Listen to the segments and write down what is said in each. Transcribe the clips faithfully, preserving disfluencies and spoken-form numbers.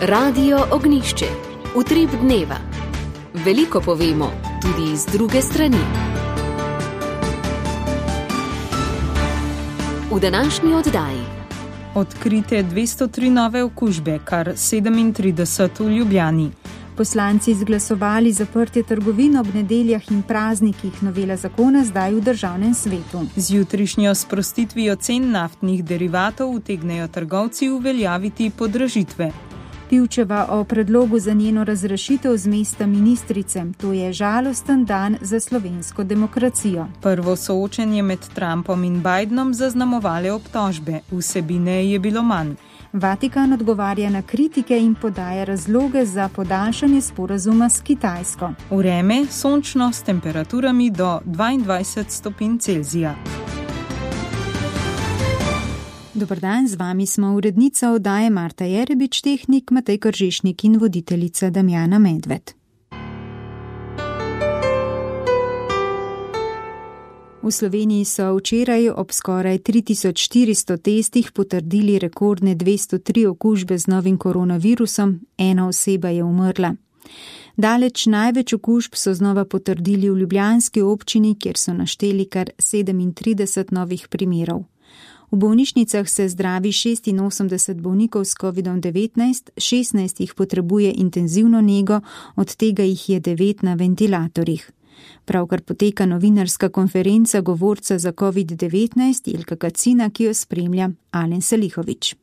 Radio Ognišče, utrip dneva. Veliko povemo, tudi z druge strani. V današnji oddaji. Odkrite dvesto tri nove okužbe, kar sedemintrideset v Ljubljani. Poslanci izglasovali zaprtje trgovin ob nedeljah in praznikih, novela zakona zdaj v državnem svetu. Z jutrišnjo sprostitvijo cen naftnih derivatov utegnejo trgovci uveljaviti podražitve. Pivčeva o predlogu za njeno razrešitev z mesta ministrice. To je žalosten dan za slovensko demokracijo. Prvo soočenje med Trumpom in Bidenom zaznamovale obtožbe, vsebine je bilo manj. Vatikan odgovarja na kritike in podaja razloge za podaljšanje sporazuma s Kitajsko. Vreme sončno s temperaturami do dvaindvajset stopinj Celzija. Dobar dan, z vami smo urednica oddaje Marta Jerebič, tehnik Matej Kržišnik in voditeljica Damjana Medved. V Sloveniji so včeraj ob skoraj tri tisoč štiristo testih potrdili rekordne dvesto tri okužbe z novim koronavirusom, ena oseba je umrla. Daleč največ okužb so znova potrdili v ljubljanski občini, kjer so našteli kar sedemintrideset novih primerov. V bolnišnicah se zdravi šestinosemdeset bolnikov s kovidom devetnajst, šestnajst jih potrebuje intenzivno nego, od tega jih je devet na ventilatorjih. Pravkar poteka novinarska konferenca govorca za covid devetnajst Jelka Kacina, ki jo spremlja Alen Salihović.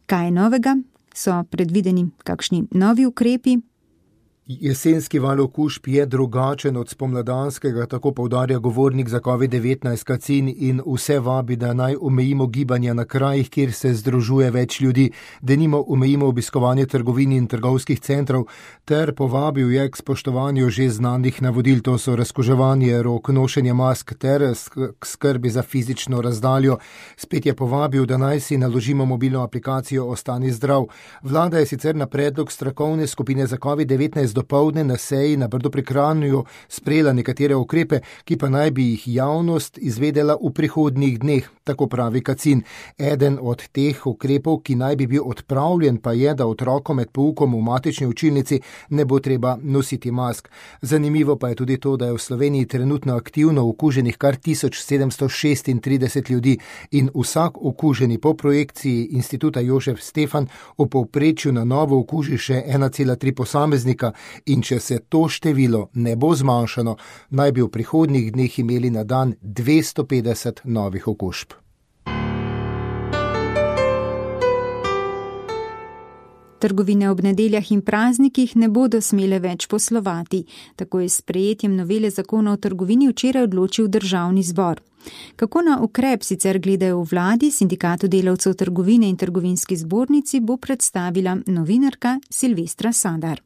Kaj je novega? So predvideni kakšni novi ukrepi? Jesenski val okužb je drugačen od spomladanskega, tako poudarja govornik za covid devetnajst Kacin in vse vabi, da naj omejimo gibanja na krajih, kjer se združuje več ljudi, denimo omejimo obiskovanje trgovin in trgovskih centrov, ter povabil je k spoštovanju že znanih navodil, to so razkuževanje rok, nošenje mask ter k skrbi za fizično razdaljo. Spet je povabil, da naj si naložimo mobilno aplikacijo Ostani zdrav. Vlada je sicer na predlog strokovne skupine za covid devetnajst dopoldne na seji na Brdu pri Kranju sprejela nekatere ukrepe, ki pa naj bi jih javnost izvedela v prihodnjih dneh, tako pravi Kacin. Eden od teh ukrepov, ki naj bi bil odpravljen, pa je, da otrokom med poukom v matični učilnici ne bo treba nositi mask. Zanimivo pa je tudi to, da je v Sloveniji trenutno aktivno okuženih kar tisoč sedemsto šestintrideset ljudi in vsak okuženi po projekciji Instituta Jožef Stefan v povprečju na novo okuži še ena cela tri posameznika. In če se to število ne bo zmanjšano, naj bi v prihodnjih dneh imeli na dan dvesto petdeset novih okužb. Trgovine ob nedeljah in praznikih ne bodo smele več poslovati. Tako je s sprejetjem novele zakona o trgovini včeraj odločil Državni zbor. Kako na ukrep sicer gledajo v vladi, Sindikatu delavcev trgovine in trgovinski zbornici, bo predstavila novinarka Silvestra Sadar.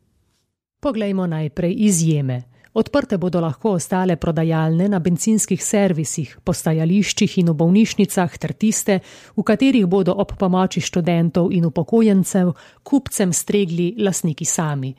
Poglejmo najprej izjeme. Odprte bodo lahko ostale prodajalne na bencinskih servisih, postajališčih in v bolnišnicah ter tiste, v katerih bodo ob pomoči študentov in upokojencev kupcem stregli lastniki sami.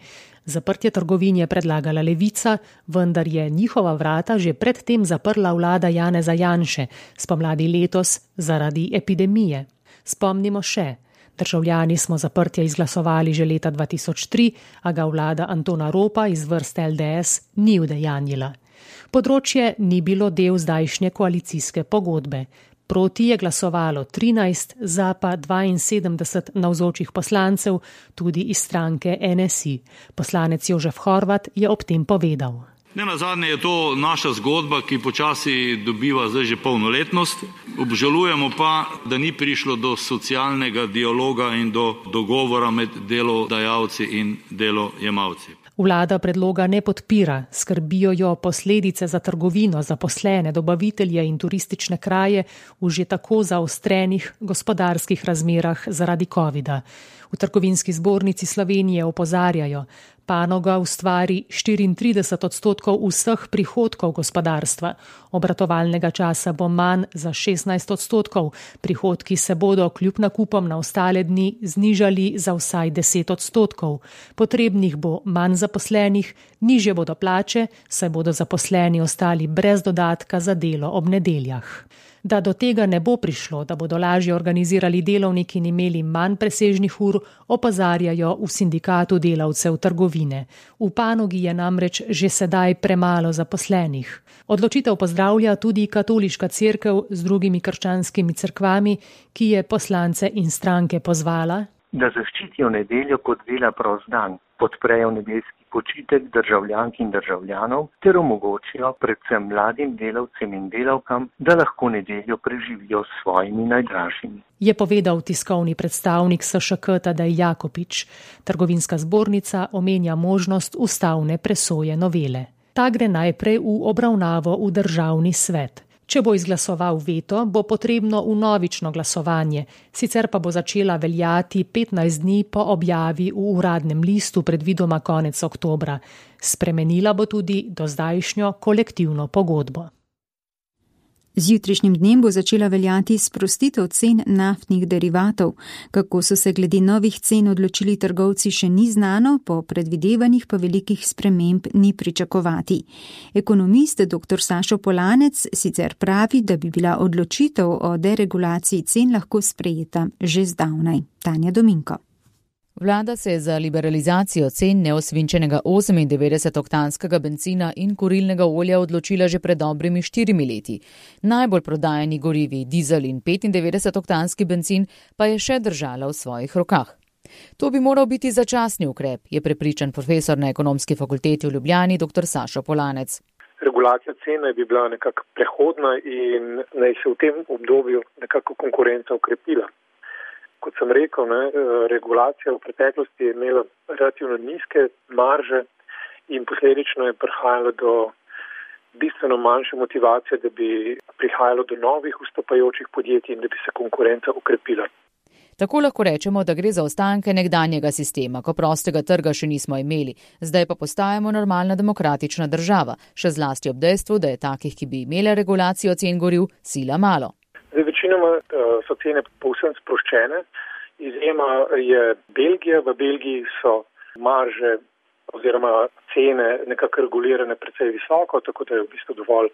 Zaprtje trgovin je predlagala Levica, vendar je njihova vrata že predtem zaprla vlada Janeza Janše, spomladi letos zaradi epidemije. Spomnimo še. Državljani smo zaprtje izglasovali že leta dva tisoč tri, a ga vlada Antona Ropa iz vrst L D S ni udejanjila. Področje ni bilo del zdajšnje koalicijske pogodbe. Proti je glasovalo trinajst, za pa dvainsedemdeset navzočih poslancev, tudi iz stranke N S I. Poslanec Jožef Horvat je ob tem povedal. Nenazadnje je to naša zgodba, ki počasi dobiva zdaj že polnoletnost. Obžalujemo pa, da ni prišlo do socialnega dialoga in do dogovora med delodajalci in delojemalci. Vlada predloga ne podpira, skrbijo jo posledice za trgovino, zaposlene, dobavitelje in turistične kraje v že tako zaostrenih gospodarskih razmerah zaradi covida. V Trgovinski zbornici Slovenije opozarjajo, panoga ustvari štiriintrideset odstotkov vseh prihodkov gospodarstva. Obratovalnega časa bo manj za šestnajst odstotkov, prihodki se bodo kljub nakupom na ostale dni znižali za vsaj deset odstotkov. Potrebnih bo manj zaposlenih, nižje bodo plače, saj bodo zaposleni ostali brez dodatka za delo ob nedeljah. Da do tega ne bo prišlo, da bodo lažje organizirali delovniki in imeli manj presežnih ur, opozarjajo v sindikatu delavcev trgovine. V panogi je namreč že sedaj premalo zaposlenih. Odločitev pozdravlja tudi katoliška cerkev z drugimi krščanskimi cerkvami, ki je poslance in stranke pozvala, da zaščitijo nedeljo kot dela prost dan, podprejo nedeljski počitek državljank in državljanov ter omogočijo predvsem mladim delavcem in delavkam, da lahko nedeljo preživijo s svojimi najdražjimi. Je povedal tiskovni predstavnik S Š K Tadej Jakopič. Trgovinska zbornica omenja možnost ustavne presoje novele. Ta gre najprej v obravnavo v državni svet. Če bo izglasoval veto, bo potrebno vnovično glasovanje, sicer pa bo začela veljati petnajst dni po objavi v uradnem listu predvidoma konec oktobra. Spremenila bo tudi dozdajšnjo kolektivno pogodbo. Z jutrišnjim dnem bo začela veljati sprostitev cen naftnih derivatov. Kako so se glede novih cen odločili trgovci, še ni znano, po predvidevanjih pa velikih sprememb ni pričakovati. Ekonomist dr Sašo Polanec sicer pravi, da bi bila odločitev o deregulaciji cen lahko sprejeta že zdavnaj. Tanja Dominko. Vlada se je za liberalizacijo cen neosvinčenega osemindevetdesetoktanskega bencina in kurilnega olja odločila že pred dobrimi štirimi leti. Najbolj prodajani gorivi, dizel in petindevetdesetoktanski bencin pa je še držala v svojih rokah. To bi moral biti začasni ukrep, je prepričan profesor na Ekonomski fakulteti v Ljubljani dr Sašo Polanec. Regulacija cene bi bila nekako prehodna in naj se v tem obdobju nekako konkurenca ukrepila. Kot sem rekel, ne, regulacija v preteklosti je imela relativno nizke marže in posledično je prihajalo do bistveno manjše motivacije, da bi prihajalo do novih vstopajočih podjetij in da bi se konkurenca ukrepila. Tako lahko rečemo, da gre za ostanke nekdanjega sistema, ko prostega trga še nismo imeli, zdaj pa postajamo normalna demokratična država, še zlasti ob dejstvu, da je takih, ki bi imele regulacijo cen goriv, sila malo. Zdaj, večinoma so cene povsem sproščene. Izjema je Belgija. V Belgiji so marže oziroma cene nekako regulirane precej visoko, tako da je v bistvu dovolj,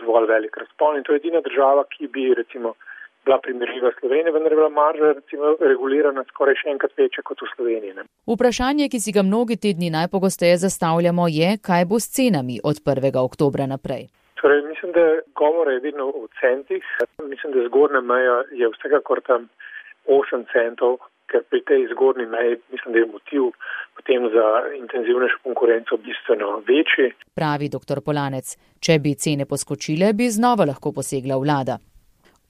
dovolj velik razpon. In to je edina država, ki bi recimo bila primerljiva Sloveniji, vendar je bila marža recimo regulirana skoraj še enkrat večja kot v Sloveniji. Ne? Vprašanje, ki si ga mnogi te dni najpogosteje zastavljamo, je, kaj bo s cenami od prvega oktobra naprej. Torej, mislim, da govora je vedno o centih. Mislim, da zgornja meja je vsekakor tam osem centov, ker pri tej zgornji meji mislim, da je motiv potem za intenzivnejšo konkurenco bistveno večji. Pravi dr Polanec, če bi cene poskočile, bi znova lahko posegla vlada.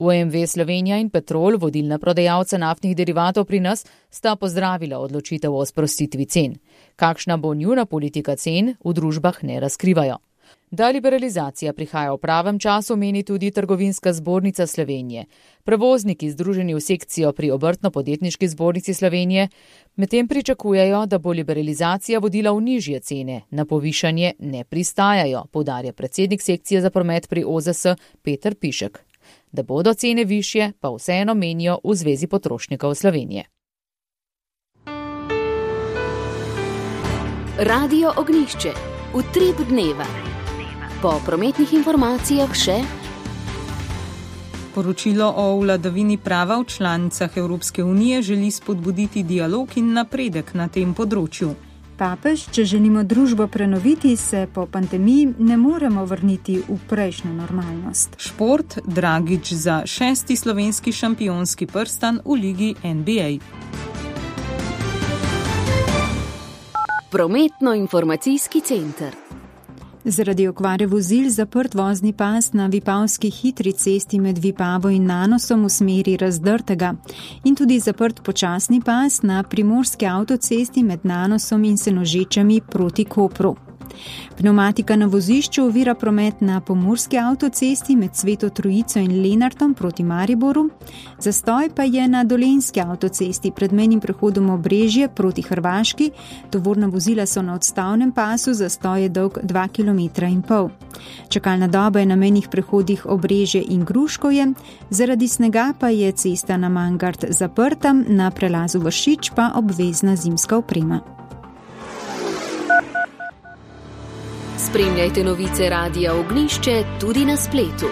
O M V Slovenija in Petrol, vodilna prodajalca naftnih derivatov pri nas, sta pozdravila odločitev o sprostitvi cen. Kakšna bo njuna politika cen, v družbah ne razkrivajo. Da liberalizacija prihaja v pravem času, meni tudi Trgovinska zbornica Slovenije. Prevozniki, združeni v sekcijo pri Obrtno-podjetniški zbornici Slovenije, medtem pričakujejo, da bo liberalizacija vodila v nižje cene, na povišanje ne pristajajo, poudarja predsednik sekcije za promet pri O Z S Peter Pišek. Da bodo cene višje, pa vseeno menijo v Zvezi potrošnikov Slovenije. Radio Ognjišče. Utrip dneva. Po prometnih informacijah še Poročilo o vladavini prava v članicah Evropske unije želi spodbuditi dialog in napredek na tem področju. Papež, če želimo družbo prenoviti, se po pandemiji ne moremo vrniti v prejšnjo normalnost. Šport, Dragič za šesti slovenski šampionski prstan v ligi N B A. Prometno-informacijski center. Zaradi okvare vozil zaprt vozni pas na vipavski hitri cesti med Vipavo in Nanosom v smeri Razdrtega in tudi zaprt počasni pas na primorski avtocesti med Nanosom in Senožečami proti Kopru. Pneumatika na vozišču ovira promet na pomurski avtocesti med Sveto Trojico in Lenartom proti Mariboru, zastoj pa je na dolenjski avtocesti pred mejnim prehodom Obrežje proti Hrvaški, tovorna vozila so na odstavnem pasu, zastoj je dolg dva kilometra in pol. Čakalna doba je na mejnih prehodih Obrežje in Gruškovje, zaradi snega pa je cesta na Mangart zaprta, na prelazu Vršič pa obvezna zimska oprema. Spremljajte novice Radia Ognjišče tudi na spletu.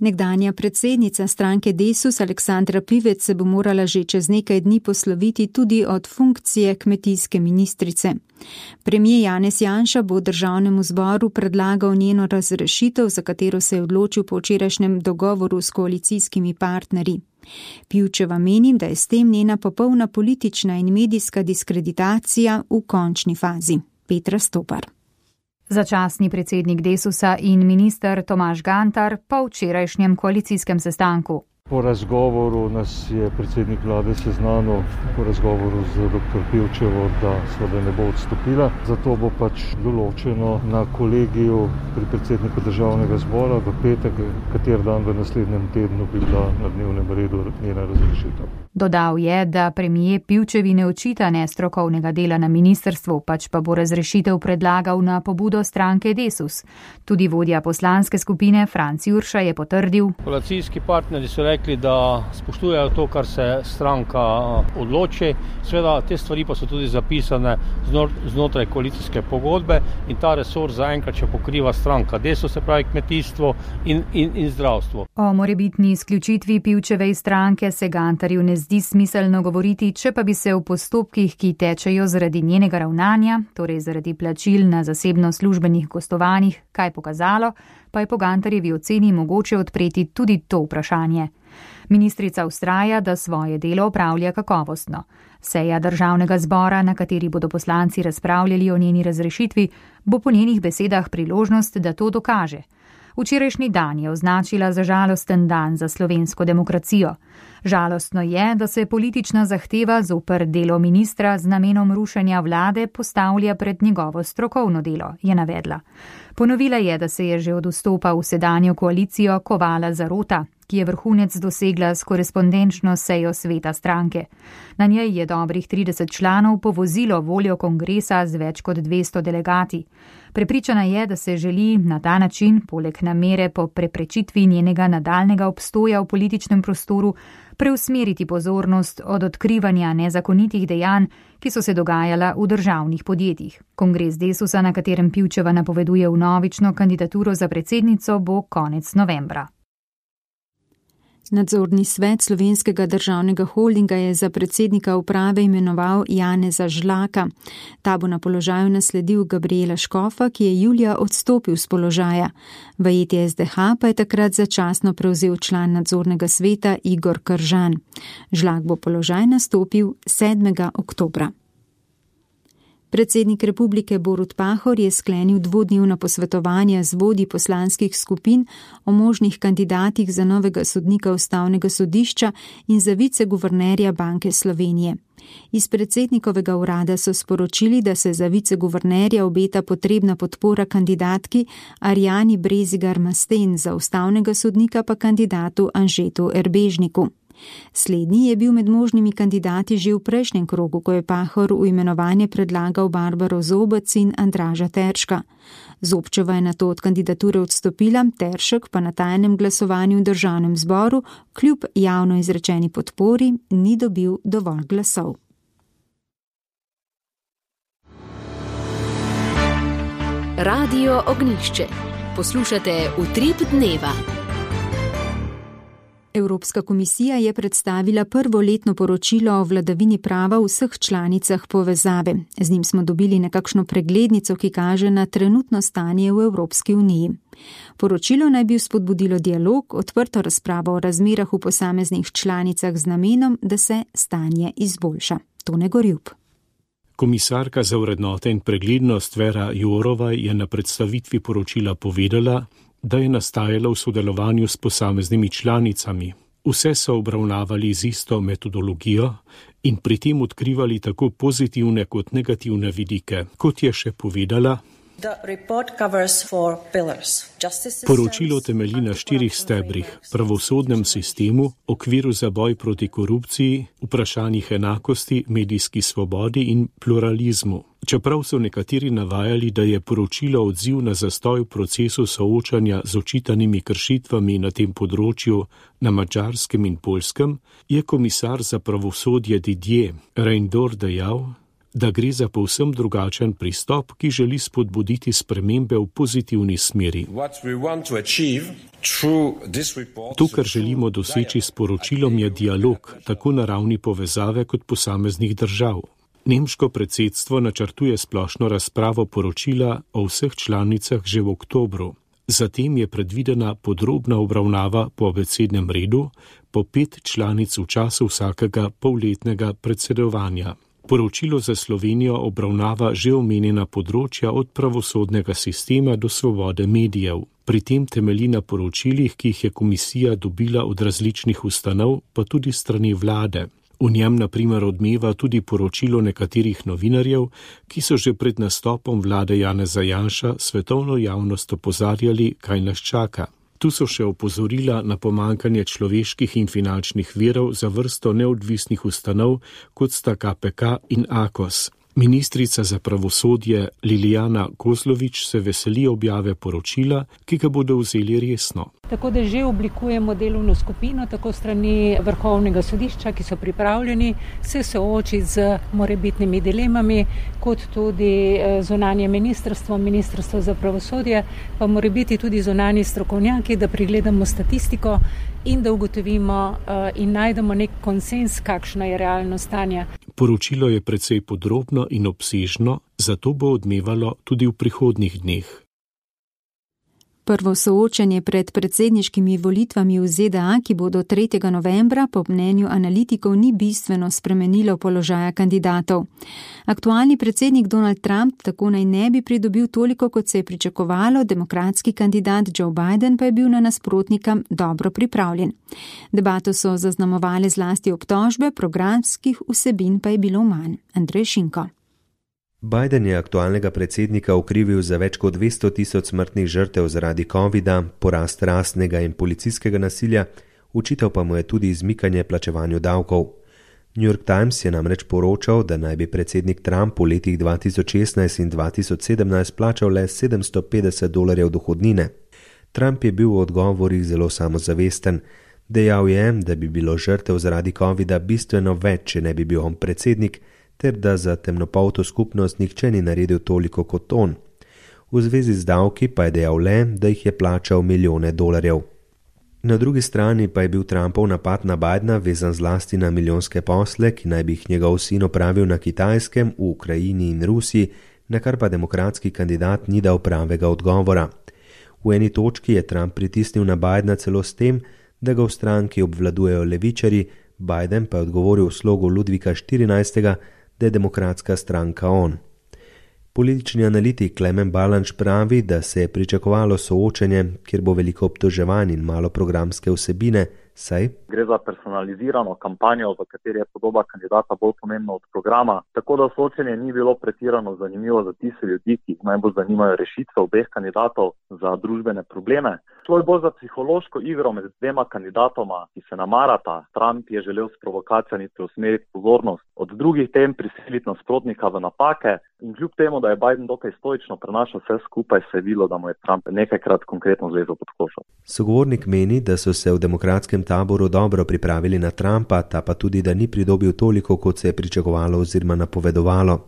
Nekdanja predsednica stranke Desus Aleksandra Pivec se bo morala že čez nekaj dni posloviti tudi od funkcije kmetijske ministrice. Premijer Janez Janša bo državnemu zboru predlagal njeno razrešitev, za katero se je odločil po včerajšnjem dogovoru s koalicijskimi partnerji. Pivčeva meni, da je s tem njena popolna politična in medijska diskreditacija v končni fazi. Petra Stopar. Začasni predsednik Desusa in minister Tomaž Gantar po včerajšnjem koalicijskem sestanku. Po razgovoru nas je predsednik vlade seznanil, po razgovoru z doktor Pivčevo, da seveda ne bo odstopila. Zato bo pač določeno na kolegiju pri predsedniku državnega zbora v petek, kater dan v naslednjem tednu bi bila na dnevnem redu njena razrešitev. Dodal je, da premijer Pivčevi ne očita nestrokovnega dela na ministrstvu, pač pa bo razrešitev predlagal na pobudo stranke Desus. Tudi vodja poslanske skupine Franci Jurša je potrdil. Koalicijski partnerji so rekli, da spoštujejo to, kar se stranka odloči. Sveda, te stvari pa so tudi zapisane znotraj koalicijske pogodbe in ta resor zaenkrat še pokriva stranka Desus, se pravi kmetijstvo in, in, in zdravstvo. O morebitni izključitvi Pivčeve iz stranke se Gantarju ne zdi smiselno govoriti, če pa bi se v postopkih, ki tečejo zaradi njenega ravnanja, torej zaradi plačil na zasebno službenih gostovanjih, kaj pokazalo, pa je po Gantarjevi oceni mogoče odpreti tudi to vprašanje. Ministrica vztraja, da svoje delo opravlja kakovostno. Seja državnega zbora, na kateri bodo poslanci razpravljali o njeni razrešitvi, bo po njenih besedah priložnost, da to dokaže. Včerajšnji dan je označila za žalosten dan za slovensko demokracijo. Žalostno je, da se politična zahteva zoper delo ministra z namenom rušenja vlade postavlja pred njegovo strokovno delo, je navedla. Ponovila je, da se je že od vstopa v sedanjo koalicijo kovala zarota, ki je vrhunec dosegla s korespondenčno sejo sveta stranke. Na njej je dobrih trideset članov povozilo voljo kongresa z več kot dvesto delegati. Prepričana je, da se želi na ta način, poleg namere po preprečitvi njenega nadaljnega obstoja v političnem prostoru, preusmeriti pozornost od odkrivanja nezakonitih dejanj, ki so se dogajala v državnih podjetjih. Kongres Desusa, na katerem Pivčeva napoveduje vnovično kandidaturo za predsednico, bo konec novembra. Nadzorni svet Slovenskega državnega holdinga je za predsednika uprave imenoval Janeza Žlaka. Ta bo na položaju nasledil Gabriela Škofa, ki je julija odstopil z položaja. V E T S D H pa je takrat začasno prevzel član nadzornega sveta Igor Kržan. Žlak bo položaj nastopil sedmega oktobra. Predsednik republike Borut Pahor je sklenil dvodnevna posvetovanja z vodji poslanskih skupin o možnih kandidatih za novega sodnika ustavnega sodišča in za viceguvernerja Banke Slovenije. Iz predsednikovega urada so sporočili, da se za viceguvernerja obeta potrebna podpora kandidatki Arjani Brezigar Masten, za ustavnega sodnika pa kandidatu Anžetu Erbežniku. Slednji je bil med možnimi kandidati že v prejšnjem krogu, ko je Pahor v imenovanje predlagal Barbaro Zobec in Andraža Terška. Zobčeva je nato od kandidature odstopila, Teršek pa na tajnem glasovanju v državnem zboru kljub javno izrečeni podpori ni dobil dovolj glasov. Radio Ognjišče. Poslušate Utrip dneva. Evropska komisija je predstavila prvo letno poročilo o vladavini prava v vseh članicah povezave. Z njim smo dobili nekakšno preglednico, ki kaže na trenutno stanje v Evropski uniji. Poročilo naj bi spodbudilo dialog, odprto razpravo o razmerah v posameznih članicah z namenom, da se stanje izboljša. Tone Gorjup. Komisarka za vrednote in preglednost Vera Jourova je na predstavitvi poročila povedala, da je nastajala v sodelovanju s posameznimi članicami. Vse so obravnavali z isto metodologijo in pri tem odkrivali tako pozitivne kot negativne vidike. Kot je še povedala, poročilo temelji na štirih stebrih: pravosodnem sistemu, okviru za boj proti korupciji, vprašanjih enakosti, medijski svobodi in pluralizmu. Čeprav so nekateri navajali, da je poročilo odziv na zastoj v procesu soočanja z očitanimi kršitvami na tem področju na Madžarskem in Poljskem, je komisar za pravosodje Didier Reynders dejal, da gre za povsem drugačen pristop, ki želi spodbuditi spremembe v pozitivni smeri. To, kar želimo doseči s poročilom, je dialog, tako na ravni povezave kot posameznih držav. Nemško predsedstvo načrtuje splošno razpravo poročila o vseh članicah že v oktobru. Zatem je predvidena podrobna obravnava po abecednem redu, po pet članic v času vsakega polletnega predsedovanja. Poročilo za Slovenijo obravnava že omenjena področja od pravosodnega sistema do svobode medijev. Pri tem temelji na poročilih, ki jih je komisija dobila od različnih ustanov, pa tudi strani vlade. V njem na primer odmeva tudi poročilo nekaterih novinarjev, ki so že pred nastopom vlade Janeza Janša svetovno javnost opozarjali, kaj nas čaka. Tu so še opozorila na pomanjkanje človeških in finančnih virov za vrsto neodvisnih ustanov, kot sta K P K in Akos. Ministrica za pravosodje Lilijana Kozlovič se veseli objave poročila, ki ga bodo vzeli resno. Tako da že oblikujemo delovno skupino, tako strani Vrhovnega sodišča, ki so pripravljeni se soočiti z morebitnimi dilemami, kot tudi zunanje ministrstvo, ministrstvo za pravosodje, pa morebiti tudi zunanji strokovnjaki, da pregledamo statistiko in da ugotovimo in najdemo nek konsens, kakšno je realno stanje. Poročilo je precej podrobno in obsežno, zato bo odmevalo tudi v prihodnjih dneh. Prvo soočenje pred predsedniškimi volitvami v Z D A, ki bodo tretjega novembra, po mnenju analitikov ni bistveno spremenilo položaja kandidatov. Aktualni predsednik Donald Trump tako naj ne bi pridobil toliko, kot se je pričakovalo, demokratski kandidat Joe Biden pa je bil na nasprotnika dobro pripravljen. Debato so zaznamovale zlasti obtožbe, programskih vsebin pa je bilo manj. Andrej Šinko. Biden je aktualnega predsednika okrivil za več kot dvesto tisoč smrtnih žrtev zaradi covida, porast rasnega in policijskega nasilja, očital pa mu je tudi izmikanje plačevanju davkov. New York Times je namreč poročal, da naj bi predsednik Trump v letih dva tisoč šestnajst in dva tisoč sedemnajst plačal le sedemsto petdeset dolarjev dohodnine. Trump je bil v odgovorih zelo samozavesten. Dejal je, da bi bilo žrtev zaradi covida bistveno več, če ne bi bil on predsednik, ter da za temnopolto skupnost nihče ni naredil toliko kot on. V zvezi z davki pa je dejal le, da jih je plačal milijone dolarjev. Na drugi strani pa je bil Trumpov napad na Bidena vezan zlasti na milijonske posle, ki naj bi jih njegov sin opravil na Kitajskem, v Ukrajini in Rusiji, na kar pa demokratski kandidat ni dal pravega odgovora. V eni točki je Trump pritisnil na Bidena celo s tem, da ga v stranki obvladujejo levičarji, Biden pa je odgovoril v slogu Ludvika štirinajstega, da je demokratska stranka on. Politični analitik Klemen Balanč pravi, da se je pričakovalo soočenje, kjer bo veliko obtoževanj in malo programske vsebine, saj gre za personalizirano kampanjo, v kateri je podoba kandidata bolj pomembna od programa, tako da soočenje ni bilo pretirano zanimivo za tiste ljudi, ki najbolj zanimajo rešitve obeh kandidatov za družbene probleme. Šlo je bolj za psihološko igro med dvema kandidatoma, ki se namarata. Trump je želel s provokacijami preusmeriti pozornost od drugih tem, prisiliti nasprotnika v napake in kljub temu, da je Biden dokaj stoično prenašal vse skupaj, se je videlo, da mu je Trump nekajkrat konkretno zlezel pod košo. Sogovornik meni, da so se v demokratskem taboru dobro pripravili na Trumpa, ta pa tudi, da ni pridobil toliko, kot se je pričakovalo oziroma napovedovalo.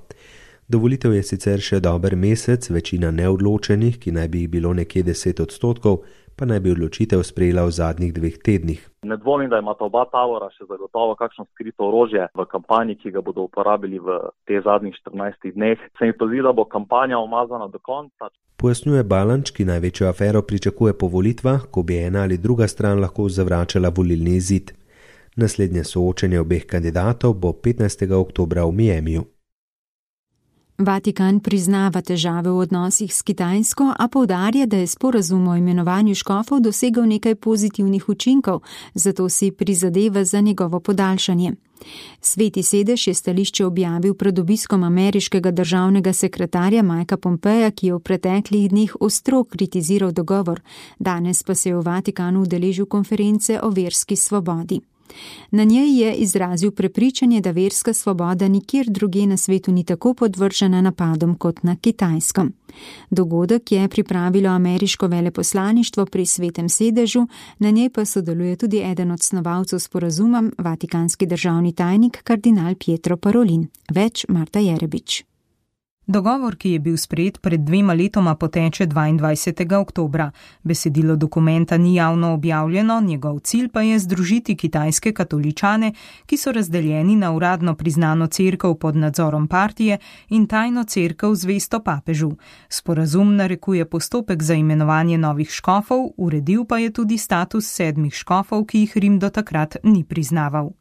Do volitev je sicer še dober mesec, večina neodločenih, ki naj bi jih bilo nekje deset odstotkov, pa naj bi odločitev sprejela v zadnjih dveh tednih. Ne dvomim, da imata oba tabora še zagotovo kakšno skrito orožje v kampanji, ki ga bodo uporabili v te zadnjih štirinajstih dneh. Se mi pa zdi, da bo kampanja umazana do konca. Pojasnjuje Balanč, ki največjo afero pričakuje po volitvah, ko bi ena ali druga stran lahko zavračala volilni izid. Naslednje soočenje obeh kandidatov bo petnajstega oktobra v Miamiju. Vatikan priznava težave v odnosih s Kitajsko, a poudarja, da je sporazum o imenovanju škofov dosegel nekaj pozitivnih učinkov, zato si prizadeva za njegovo podaljšanje. Sveti sedež je stališče objavil pred obiskom ameriškega državnega sekretarja Mikea Pompeja, ki je v preteklih dneh ostro kritiziral dogovor, danes pa se je v Vatikanu udeležil konference o verski svobodi. Na njej je izrazil prepričanje, da verska svoboda nikjer drugje na svetu ni tako podvržena napadom kot na Kitajskem. Dogodek je pripravilo ameriško veleposlaništvo pri Svetem sedežu, na njej pa sodeluje tudi eden od snovalcev sporazuma, vatikanski državni tajnik kardinal Pietro Parolin. Več Marta Jerebič. Dogovor, ki je bil sprejet pred dvema letoma, poteče dvaindvajsetega oktobra. Besedilo dokumenta ni javno objavljeno, njegov cilj pa je združiti kitajske katoličane, ki so razdeljeni na uradno priznano cerkev pod nadzorom partije in tajno cerkev zvesto papežu. Sporazum narekuje postopek za imenovanje novih škofov, uredil pa je tudi status sedmih škofov, ki jih Rim do takrat ni priznaval.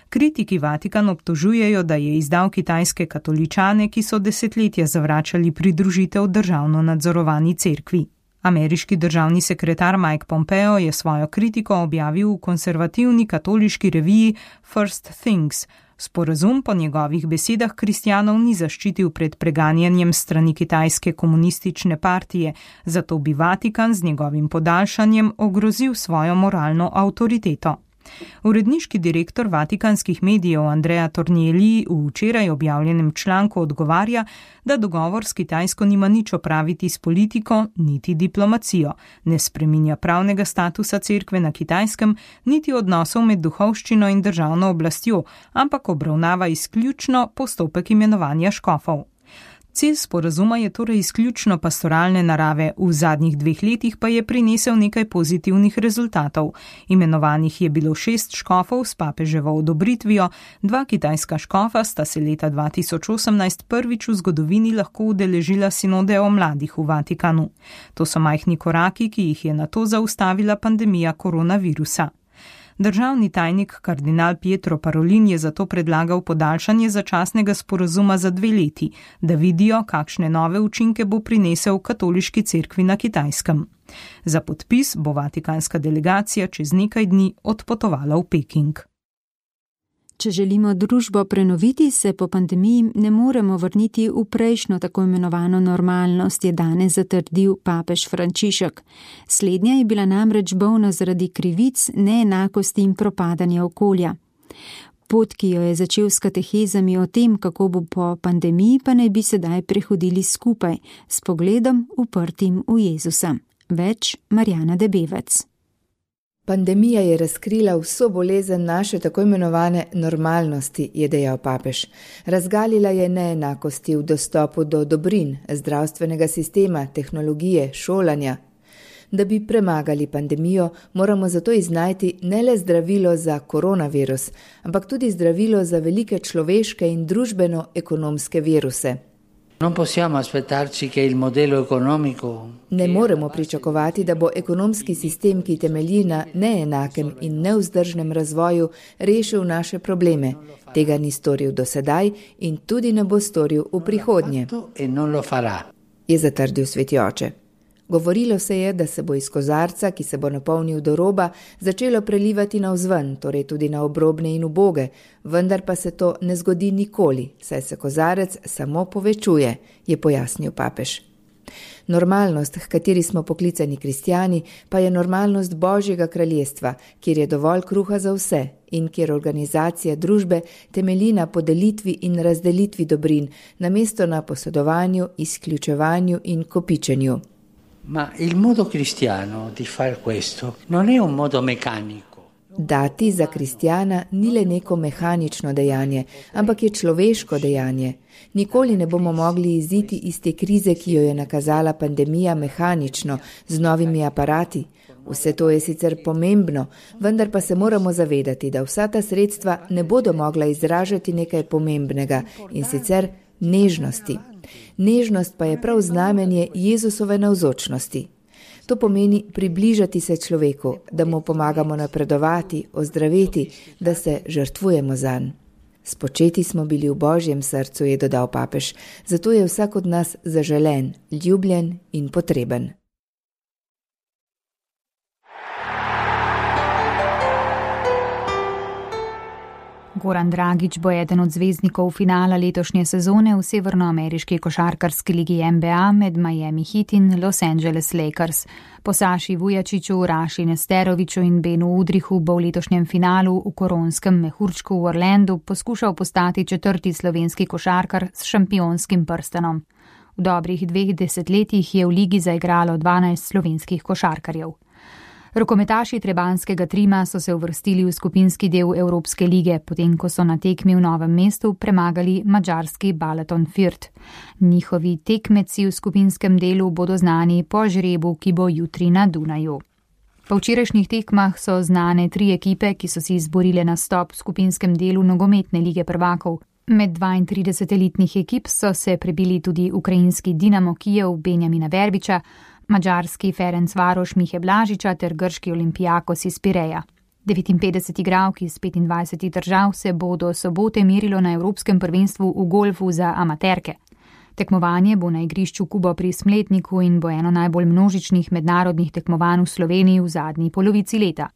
Kritiki Vatikan obtožujejo, da je izdal kitajske katoličane, ki so desetletja zavračali pridružitev državno nadzorovani cerkvi. Ameriški državni sekretar Mike Pompeo je svojo kritiko objavil v konservativni katoliški reviji First Things. Sporazum po njegovih besedah kristjanov ni zaščitil pred preganjanjem strani kitajske komunistične partije, zato bi Vatikan z njegovim podaljšanjem ogrozil svojo moralno avtoriteto. Uredniški direktor vatikanskih medijev Andrea Tornielli v včeraj objavljenem članku odgovarja, da dogovor s Kitajsko nima nič opraviti s politiko, niti diplomacijo, ne spreminja pravnega statusa cerkve na Kitajskem, niti odnosov med duhovščino in državno oblastjo, ampak obravnava izključno postopek imenovanja škofov. Cilj sporazuma je torej izključno pastoralne narave, v zadnjih dveh letih pa je prinesel nekaj pozitivnih rezultatov. Imenovanih je bilo šest škofov s papeževo odobritvijo, dva kitajska škofa sta se leta dva tisoč osemnajst prvič v zgodovini lahko udeležila sinode o mladih v Vatikanu. To so majhni koraki, ki jih je nato zaustavila pandemija koronavirusa. Državni tajnik kardinal Pietro Parolin je zato predlagal podaljšanje začasnega sporazuma za dve leti, da vidijo, kakšne nove učinke bo prinesel katoliški cerkvi na Kitajskem. Za podpis bo vatikanska delegacija čez nekaj dni odpotovala v Peking. Če želimo družbo prenoviti, se po pandemiji ne moremo vrniti v prejšnjo tako imenovano normalnost, je danes zatrdil papež Frančišek. Slednja je bila namreč bolna zaradi krivic, neenakosti in propadanja okolja. Pot, ki jo je začel s katehezami o tem, kako bo po pandemiji, pa naj bi sedaj prehodili skupaj, s pogledom uprtim v Jezusa. Več Marjana Debevec. Pandemija je razkrila vso bolezen naše tako imenovane normalnosti, je dejal papež. Razgalila je neenakosti v dostopu do dobrin, zdravstvenega sistema, tehnologije, šolanja. Da bi premagali pandemijo, moramo zato iznajti ne le zdravilo za koronavirus, ampak tudi zdravilo za velike človeške in družbeno-ekonomske viruse. Ne moremo pričakovati, da bo ekonomski sistem, ki temelji na neenakem in nevzdržnem razvoju, rešil naše probleme. Tega ni storil do sedaj in tudi ne bo storil v prihodnje, je zatrdil sveti oče. Govorilo se je, da se bo iz kozarca, ki se bo napolnil do roba, začelo prelivati navzven, torej tudi na obrobne in uboge, vendar pa se to ne zgodi nikoli, saj se kozarec samo povečuje, je pojasnil papež. Normalnost, h kateri smo poklicani kristjani, pa je normalnost Božjega kraljestva, kjer je dovolj kruha za vse in kjer organizacija družbe temelji na podelitvi in razdelitvi dobrin, namesto na posedovanju, izključevanju in kopičenju. Ma il modo cristiano di far questo non è un modo meccanico. Dati za kristjana ni le neko mehanično dejanje, ampak je človeško dejanje. Nikoli ne bomo mogli iziti iz te krize, ki jo je nakazala pandemija, mehanično, z novimi aparati. Vse to je sicer pomembno, vendar pa se moramo zavedati, da vsa ta sredstva ne bodo mogla izražati nekaj pomembnega, in sicer nežnosti. Nežnost pa je prav znamenje Jezusove navzočnosti. To pomeni približati se človeku, da mu pomagamo napredovati, ozdraveti, da se žrtvujemo zanj. Spočeti smo bili v Božjem srcu, je dodal papež, zato je vsak od nas zaželen, ljubljen in potreben. Goran Dragić bo eden od zvezdnikov finala letošnje sezone v severnoameriški košarkarski ligi N B A med Miami Heat in Los Angeles Lakers. Po Saši Vujačiću, Raši Nesteroviću in Benu Udrihu bo v letošnjem finalu v koronskem mehurčku v Orlandu poskušal postati četrti slovenski košarkar s šampionskim prstanom. V dobrih dveh desetletjih je v ligi zaigralo dvanajst slovenskih košarkarjev. Rokometaši trebanskega Trima so se uvrstili v skupinski del Evropske lige, potem ko so na tekmi v Novem mestu premagali madžarski Balaton Fürt. Njihovi tekmeci v skupinskem delu bodo znani po žrebu, ki bo jutri na Dunaju. Po včerajšnjih tekmah so znane tri ekipe, ki so si izborile nastop v skupinskem delu nogometne lige prvakov. Med dvaintrideset elitnih ekip so se prebili tudi ukrajinski Dinamo Kijev Benjamina Verbiča, madžarski Ferencvaroš Mihe Blažiča ter grški Olympiakos iz Pireja. devetinpetdeset igralk iz petindvajsetih držav se bo do sobote merilo na Evropskem prvenstvu v golfu za amaterke. Tekmovanje bo na igrišču Kubo pri Smletniku in bo eno najbolj množičnih mednarodnih tekmovanj v Sloveniji v zadnji polovici leta.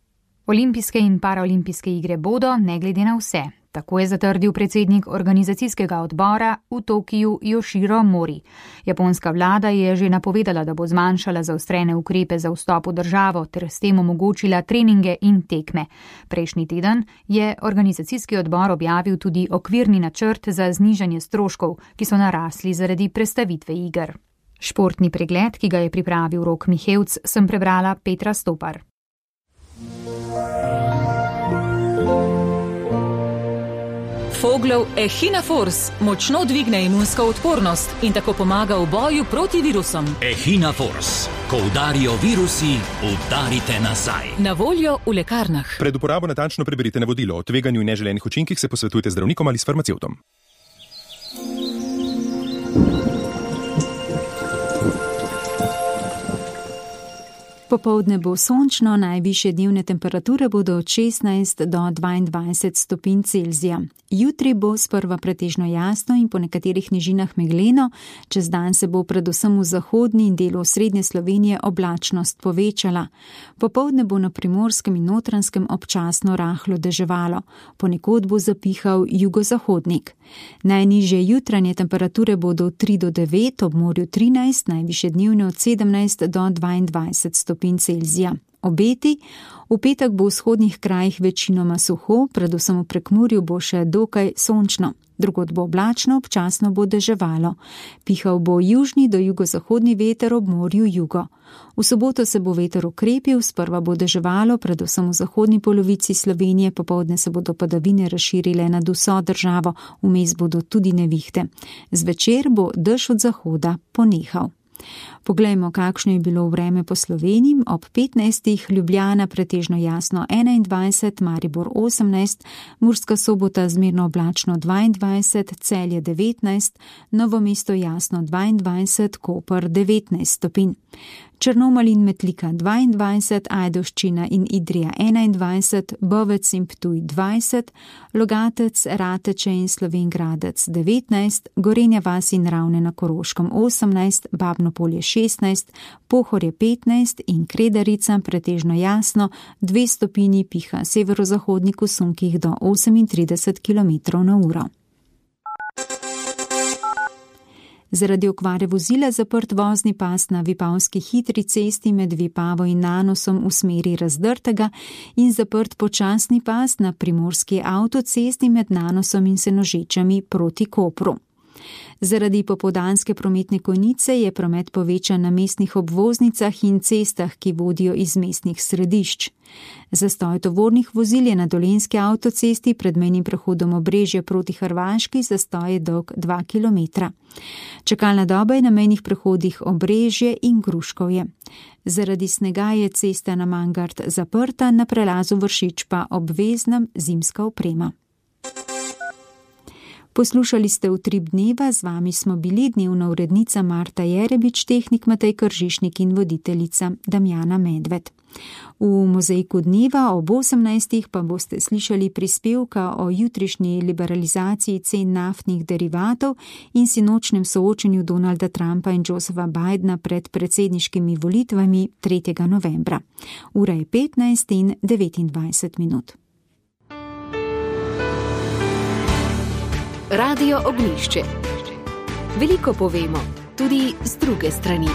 Olimpijske in paraolimpijske igre bodo, ne glede na vse. Tako je zatrdil predsednik organizacijskega odbora v Tokiju Yoshiro Mori. Japonska vlada je že napovedala, da bo zmanjšala zaostrene ukrepe za vstop v državo ter s tem omogočila treninge in tekme. Prejšnji teden je organizacijski odbor objavil tudi okvirni načrt za znižanje stroškov, ki so narasli zaradi prestavitve iger. Športni pregled, ki ga je pripravil Rok Mihevc, sem prebrala Petra Stopar. Foglov Echina Force močno dvigne imunsko odpornost in tako pomaga v boju proti virusom. Echina Force. Ko udarijo virusi, udarite nazaj. Na voljo v lekarnah. Pred uporabo natančno preberite navodilo. O tveganju in neželenih učinkih se posvetujte z zdravnikom ali s farmacevtom. Popoldne bo sončno, najvišje dnevne temperature bodo od šestnajst do dvaindvajset stopinj Celzija. Jutri bo sprva pretežno jasno in po nekaterih nižinah megleno, čez dan se bo predvsem v zahodni in delu srednje Slovenije oblačnost povečala. Popoldne bo na Primorskem in Notranjskem občasno rahlo deževalo, ponekod bo zapihal jugozahodnik. Najnižje jutranje temperature bodo tri do devet, ob morju trinajst, najvišje dnevne od sedemnajst do dvaindvajset stopinj Celzija. Obeti, v petek bo v vzhodnih krajih večinoma suho, predvsem v Prekmurju bo še dokaj sončno. Drugod bo oblačno, občasno bo deževalo. Pihal bo južni do jugozahodni veter, ob morju jugo. V soboto se bo veter okrepil, sprva bo deževalo, predvsem v zahodni polovici Slovenije, popoldne se bodo padavine razširile nad vso državo, vmes bodo tudi nevihte. Zvečer bo dež od zahoda ponehal. Poglejmo, kakšno je bilo vreme po Sloveniji. Ob petnajstih Ljubljana pretežno jasno enaindvajset, Maribor osemnajst, Murska Sobota zmerno oblačno dvaindvajset, Celje devetnajst, Novo mesto jasno dvaindvajset, Koper devetnajst stopinj. Črnomelj in Metlika dvaindvajset, Ajdovščina in Idrija enaindvajset, Bovec in Ptuj dvajset, Logatec, Rateče in Slovenj Gradec devetnajst, Gorenja vas in Ravne na Koroškem osemnajst, Babno Polje šestnajst, Pohorje petnajst in Kredarica pretežno jasno, dve stopinji, piha severozahodnik v sunkih do osemintrideset kilometrov na uro. Zaradi okvare vozila zaprt vozni pas na Vipavski hitri cesti med Vipavo in Nanosom v smeri Razdrtega in zaprt počasni pas na Primorski avtocesti med Nanosom in Senožečami proti Kopru. Zaradi popoldanske prometne konice je promet povečan na mestnih obvoznicah in cestah, ki vodijo iz mestnih središč. Zastoj tovornih vozil je na Dolenjski avtocesti pred mejnim prehodom Obrežje proti Hrvaški, zastoj je dolg dva kilometra. Čakalna doba je na mejnih prehodih Obrežje in Gruškovje. Zaradi snega je cesta na Mangart zaprta, na prelazu Vršič pa obvezna zimska oprema. Poslušali ste Utrip dneva, z vami smo bili dnevna urednica Marta Jerebič, tehnik Matej Kržišnik in voditeljica Damjana Medved. V mozaiku dneva ob osemnajstih pa boste slišali prispevka o jutrišnji liberalizaciji cen naftnih derivatov in sinočnem soočenju Donalda Trumpa in Josepha Bidena pred predsedniškimi volitvami tretjega novembra. Ura je petnajst in devetindvajset minut. Radio Ognjišče. Veliko povemo, tudi z druge strani.